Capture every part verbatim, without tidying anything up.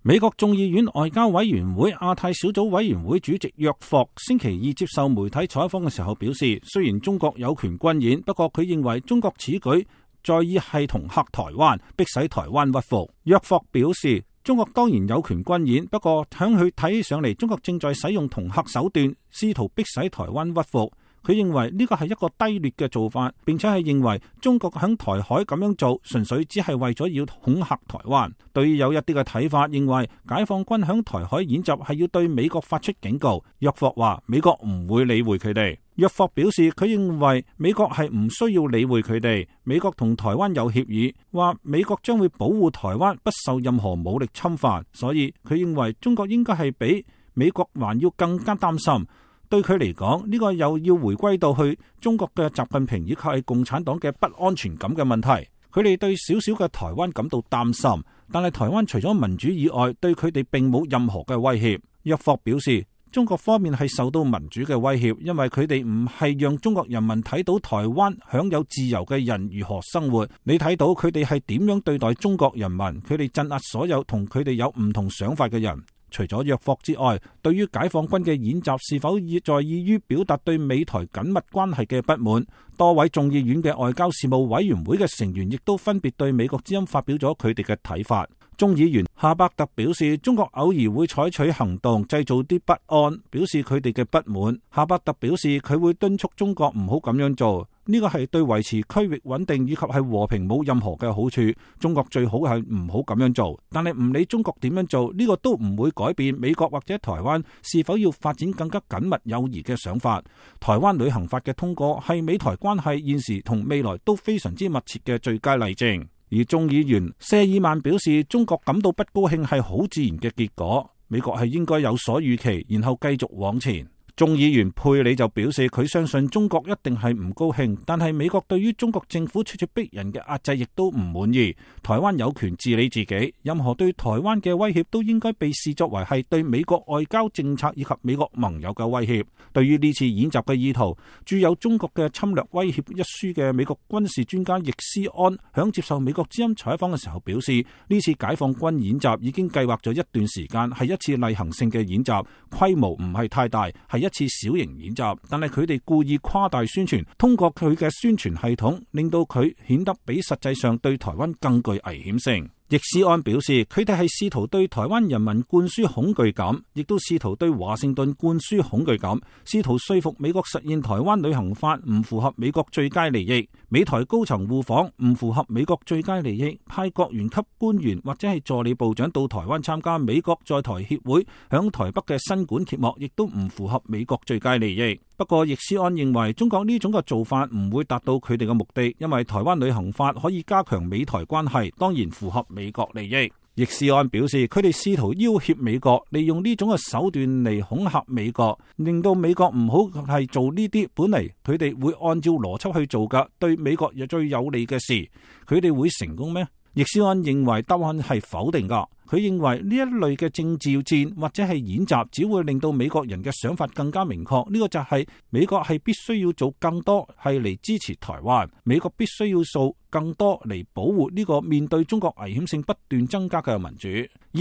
美國眾議院外交委員會亞太小組委員會主席約霍星期二接受媒體採訪嘅時候表示，雖然中國有權軍演，不過佢認為中國此舉在意係恫嚇台灣，迫使台灣屈服。約霍表示，中國當然有權軍演，不過響佢睇起上嚟，中國正在使用恫嚇手段，試圖迫使台灣屈服。佢認為呢個係一個低劣嘅做法，並且係認為中國響台海咁樣做，純粹只係為咗要恐嚇台灣。對於有一啲嘅睇法，認為解放軍響台海演習係要對美國發出警告。約霍話美國唔會理會佢哋。約霍表示，佢認為美國係唔需要理會佢哋。美國同台灣有協議，話美國將會保護台灣不受任何武力侵犯，所以佢認為中國應該係比美國還要更加擔心。對佢嚟講，呢個又要回歸到去中國嘅習近平以及係共產黨嘅不安全感嘅問題。佢哋對小小嘅台灣感到擔心，但係台灣除咗民主以外，對佢哋並冇任何嘅威脅。約霍表示，中國方面係受到民主嘅威脅，因為佢哋唔係讓中國人民睇到台灣享有自由嘅人如何生活。你睇到佢哋係點樣對待中國人民，佢哋鎮壓所有同佢哋有唔同想法嘅人。除咗約霍之外，對於解放軍嘅演習是否在意於表達對美台緊密關係嘅不滿，多位眾議院嘅外交事務委員會嘅成員亦都分別對美國之音發表咗佢哋嘅睇法。眾議員夏伯特表示，中國偶爾會採取行動製造啲不安，表示佢哋嘅不滿。夏伯特表示，佢會敦促中國唔好咁樣做，呢個係對維持區域穩定以及係和平冇任何嘅好處。中國最好係唔好咁樣做，但係唔理中國點樣做，呢個都唔會改變美國或者台灣是否要發展更加緊密友誼嘅想法。台灣旅行法嘅通過係美台關係現時同未來都非常之密切嘅最佳例證。而眾議員謝爾曼表示，中國感到不高興係好自然嘅結果，美國係應該有所預期，然後繼續往前。眾議員佩里就表示，佢相信中國一定係唔高興，但係美國對於中國政府處處逼人嘅壓制亦都唔滿意。台灣有權治理自己，任何對台灣嘅威脅都應該被視作為係對美國外交政策以及美國盟友嘅威脅。對於呢次演習嘅意圖，著有《中國嘅侵略威脅》一書嘅美國軍事專家易思安響接受美國之音採訪嘅時候表示，呢次解放軍演習已經計劃咗一段時間，係一次例行性嘅演習，規模唔係太大，係一次小型演習，但係佢哋故意誇大宣傳，通過佢嘅宣傳系統，令到佢顯得比實際上對台灣更具危險性。易思安表示，佢哋係試圖對台灣人民灌輸恐懼感，亦都試圖對華盛頓灌輸恐懼感，試圖說服美國實現台灣旅行法唔符合美國最佳利益，美台高層互訪唔符合美國最佳利益，派國員級官員或者係助理部長到台灣參加美國在台協會響台北嘅新館揭幕，亦都唔符合美國最佳利益。不過，易思安認為中國呢種嘅做法唔會達到佢哋嘅目的，因為台灣旅行法可以加強美台關係，當然符合美國利益。易思安表示，佢哋試圖要挾美國，利用呢種嘅手段嚟恐嚇美國，令到美國唔好係做呢啲本嚟佢哋會按照邏輯去做嘅對美國又最有利嘅事，佢哋會成功咩？易思安認為答案係否定噶。佢認為呢一類嘅政治戰或者係演習，只會令到美國人嘅想法更加明確。呢個就係美國係必須要做更多係嚟支持台灣，美國必須要做更多嚟保護呢個面對中國危險性不斷增加嘅民主。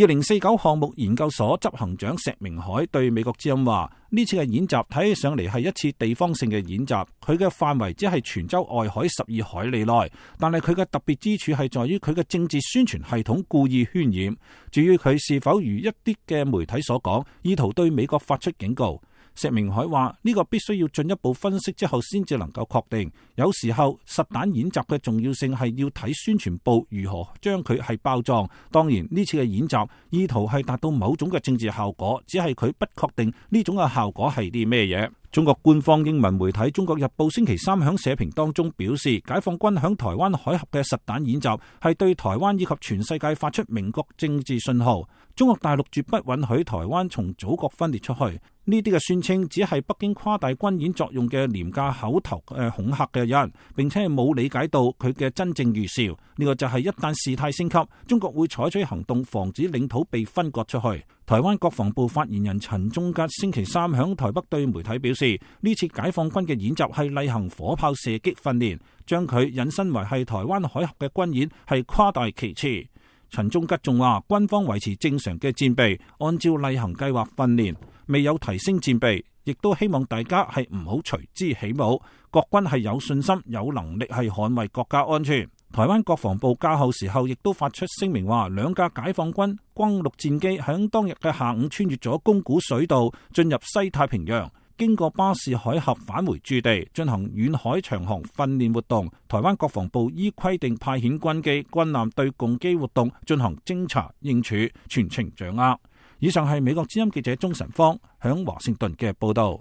二零四九項目研究所執行長石明海對美國之音話：呢次嘅演習睇起上嚟係一次地方性嘅演習，佢嘅範圍只係泉州外海十二海里內，但係佢嘅特別之處係在於佢嘅政治宣傳系統故意渲染。至於佢是否如一啲嘅媒體所講，意圖對美國發出警告，石明海話呢個必須要進一步分析之後先至能夠確定。有時候實彈演習嘅重要性係要睇宣傳部如何將佢係包裝。當然呢次嘅演習意圖係達到某種嘅政治效果，只係佢不確定呢種嘅效果係啲咩嘢。中國官方英文媒體《中國日報》星期三響社評當中表示，解放軍響台灣海峽嘅實彈演習係對台灣以及全世界發出明確政治信號。中國大陸絕不允許台灣從祖國分裂出去。呢啲嘅宣稱只係北京誇大軍演作用嘅廉價口頭誒恐嚇嘅人，並且係冇理解到佢嘅真正預兆。呢個就係一旦事態升級，中國會採取行動防止領土被分割出去。台灣國防部發言人陳忠吉星期三響台北對媒體表示，呢次解放軍嘅演習係例行火炮射擊訓練，將佢引申為係台灣海峽嘅軍演係誇大其詞。陳忠吉仲話，軍方維持正常嘅戰備，按照例行計劃訓練，未有提升戰備，亦都希望大家係唔好隨之起舞。國軍係有信心、有能力係捍衛國家安全。台灣國防部較後時候亦都發出聲明話，兩架解放軍轟六戰機響當日嘅下午穿越咗宮古水道，進入西太平洋，經過巴士海峽返回駐地，進行遠海長航訓練活動。台灣國防部依規定派遣軍機、軍艦對共機活動進行偵查應處，全程掌握。以上係美國之音記者鍾晨芳響華盛頓嘅報道。